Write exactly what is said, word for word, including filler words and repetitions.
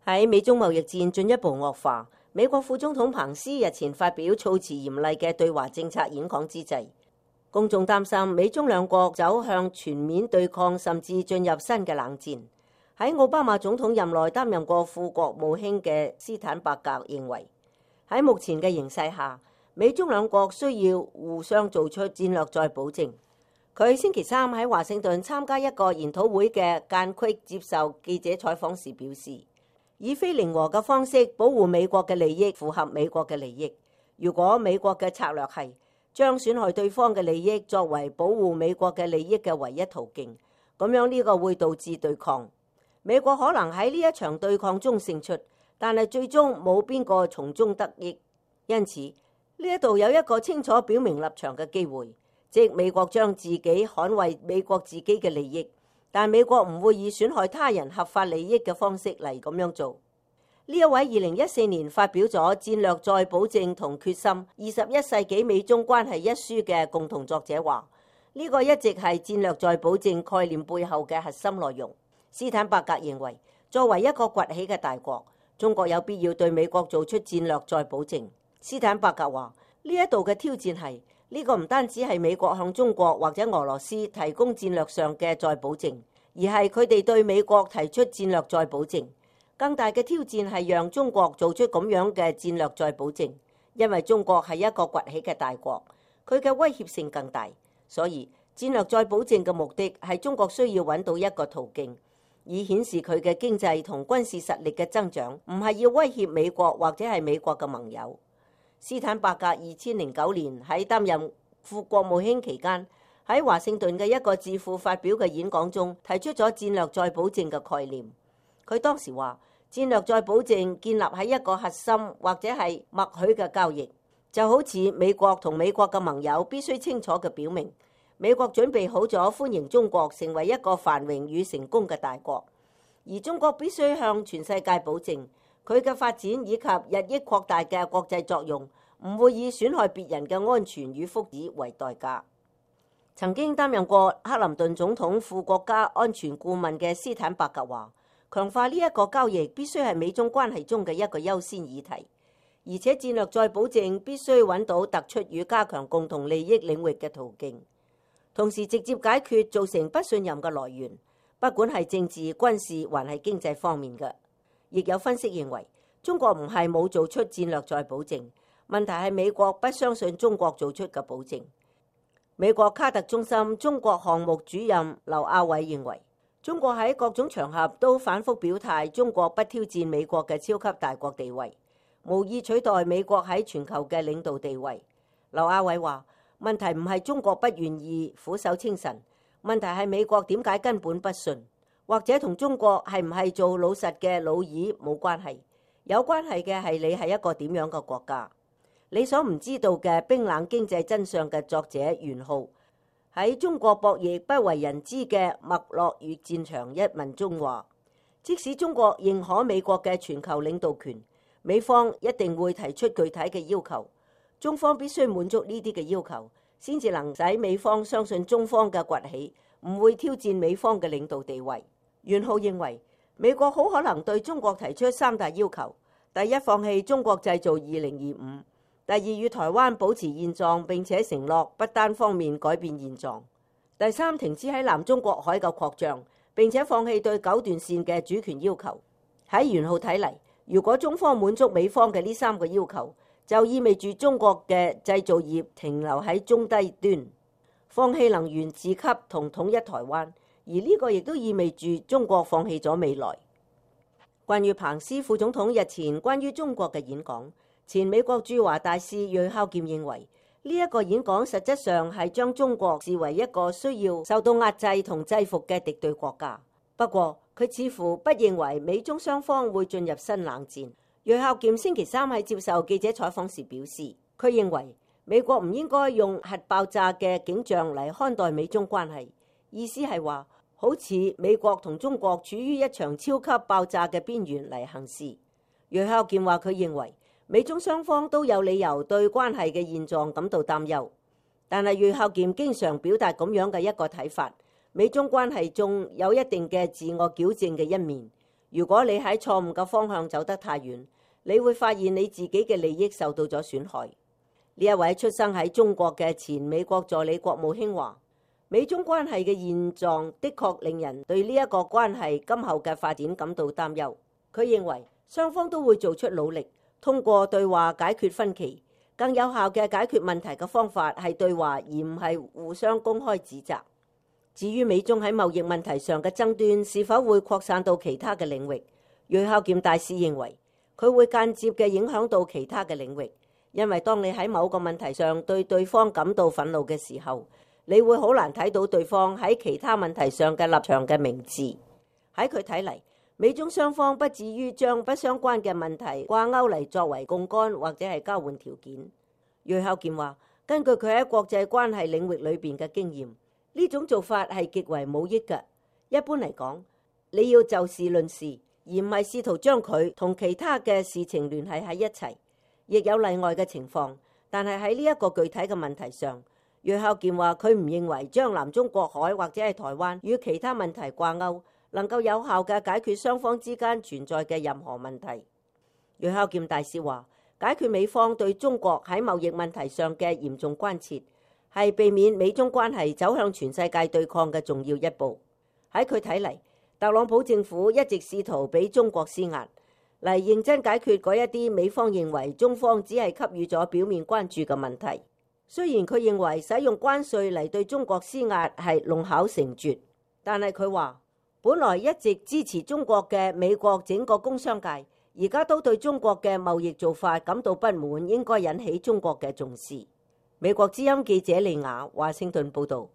喺美中貿易戰進一步惡化，美國副總統彭斯日前發表措辭嚴厲嘅對華政策演講之際，公眾擔心美中兩國走向全面對抗，甚至進入新嘅冷戰。喺奧巴馬總統任內擔任過副國務卿嘅斯坦伯格認為，喺目前嘅形勢下，美中兩國需要互相做出戰略再保證。佢星期三喺華盛頓參加一個研討會嘅間隙接受記者採訪時表示，以非零和嘅方式保護美國嘅利益符合美國嘅利益。如果美國嘅策略係將損害對方嘅利益作為保護美國嘅利益嘅唯一途徑，咁樣呢個會導致對抗。美國可能喺呢一場對抗中勝出，但係最終冇邊個從中得益。因此呢一度有一個清楚表明立場嘅機會，即美國將自己捍衛美國自己嘅利益，但美國唔會以損害他人合法利益嘅方式嚟咁樣做。呢一位二零一四年發表咗《戰略再保證同決心：二十一世紀美中關係》一書嘅共同作者話，呢、這個一直係戰略再保證概念背後嘅核心內容。斯坦伯格認為，作為一個崛起嘅大國，中國有必要對美國做出戰略再保證。斯坦伯格話，呢一度嘅挑戰係呢、這個唔單止係美國向中國或者俄羅斯提供戰略上嘅再保證，而係佢哋對美國提出戰略再保證。更大嘅挑戰係讓中國做出咁樣嘅戰略再保證，因為中國係一個崛起嘅大國，佢嘅威脅性更大。所以戰略再保證嘅目的係中國需要揾到一個途徑，以顯示佢嘅經濟同軍事實力嘅增長，唔係要威脅美國或者係美國嘅盟友。斯坦伯格二千零九年喺擔任副國務卿期間，喺華盛頓嘅一個智庫發表嘅演講中，提出咗戰略再保證嘅概念。佢當時話，戰略再保證建立喺一個核心或者係默許嘅交易，就好似美國同美國嘅盟友必須清楚嘅表明，美國準備好咗歡迎中國成為一個繁榮與成功嘅大國，而中國必須向全世界保證，佢嘅發展以及日益擴大嘅國際作用唔會以損害別人嘅安全與福祉為代價。曾經擔任過克林頓總統副國家安全顧問嘅斯坦伯格話，強化呢一個交易必須係美中關係中嘅一個優先議題，而且戰略再保證必須揾到突出與加強共同利益領域嘅途徑，同時直接解決造成不信任嘅來源，不管係政治、軍事還係經濟方面嘅。亦有分析認為，中國唔係冇做出戰略再保證，問題係美國不相信中國做出嘅保證。美國卡特中心中國項目主任劉亞偉認為，中國喺各種場合都反覆表態，中國不挑戰美國嘅超級大國地位，無意取代美國喺全球嘅領導地位。劉亞偉話，問題唔係中國不願意俯首稱臣，問題係美國點解根本不信，或者同中國係唔係做老實嘅老二冇關係，有關係嘅係你係一個點樣嘅國家。你所唔知道嘅冰冷經濟真相嘅作者袁浩喺中國博弈不為人知嘅脈絡與戰場一文中話，即使中國認可美國嘅全球領導權，美方一定會提出具體嘅要求，中方必須滿足呢啲嘅要求，先至能使美方相信中方嘅崛起唔會挑戰美方嘅領導地位。袁浩認為，美國好可能對中國提出三大要求：第一，放棄中國製造二零二五；第二，與台灣保持現狀並且承諾不單方面改變現狀；第三，停止喺南中國海嘅擴張，並且放棄對九段線嘅主權要求。喺袁浩睇嚟，如果中方滿足美方嘅呢三個要求，就意味住中國嘅製造業停留喺中低端，放棄能源自給同統一台灣，而呢個亦都意味住中國放棄咗未來。關於彭斯副總統日前關於中國嘅演講，前美國駐華大使芮孝儉認為，呢、這、一個演講實質上係將中國視為一個需要受到壓制同制服嘅敵對國家。不過佢似乎不認為美中雙方會進入新冷戰。芮孝儉星期三喺接受記者採訪時表示，佢認為美國唔應該用核爆炸嘅景象嚟看待美中關係，意思係話好似美國同中國處於一場超級爆炸嘅邊緣嚟行事。芮孝儉話佢認為美中雙方都有理由對關係嘅現狀感到擔憂，但係芮孝儉經常表達咁樣嘅一個睇法：美中關係中有一定嘅自我矯正嘅一面。如果你喺錯誤嘅方向走得太遠，你會發現你自己嘅利益受到咗損害。呢一位出生喺中國嘅前美國助理國務卿話，美中關係嘅現狀的確令人對呢一個關係今後嘅發展感到擔憂。佢認為雙方都會做出努力，通過對話解決分歧。更有效嘅解決問題嘅方法係對話，而唔係互相公開指責。至於美中喺貿易問題上嘅爭端是否會擴散到其他嘅領域，瑞孝儉大使認為佢會間接嘅影響到其他嘅領域，因為當你喺某個問題上對對方感到憤怒嘅時候，你會好難睇到對方喺其他問題上嘅立場嘅明智。喺佢睇嚟，美中雙方不至於將不相關嘅問題掛鈎嚟作為槓桿或者係交換條件。瑞孝儉話，根據佢喺國際關係領域裏邊嘅經驗，呢種做法係極為冇益嘅。一般嚟講，你要就事論事，而唔係試圖將佢同其他嘅事情聯繫喺一齊。亦有例外嘅情況，但係喺呢一個具體嘅問題上，瑞孝儉話佢唔認為將南中國海或者係台灣與其他問題掛鈎能夠有效嘅解決雙方之間存在嘅任何問題。瑞孝儉大使話，解決美方對中國喺貿易問題上嘅嚴重關切，係避免美中關係走向全世界對抗嘅重要一步。喺佢睇嚟，特朗普政府一直試圖俾中國施壓，嚟認真解決嗰一啲美方認為中方只係給予咗表面關注嘅問題。雖然佢認為使用關稅嚟對中國施壓係弄巧成拙，但係佢話，本來一直支持中國嘅美國整個工商界，而家都對中國嘅貿易做法感到不滿，應該引起中國嘅重視。美國之音記者利亞華盛頓報道。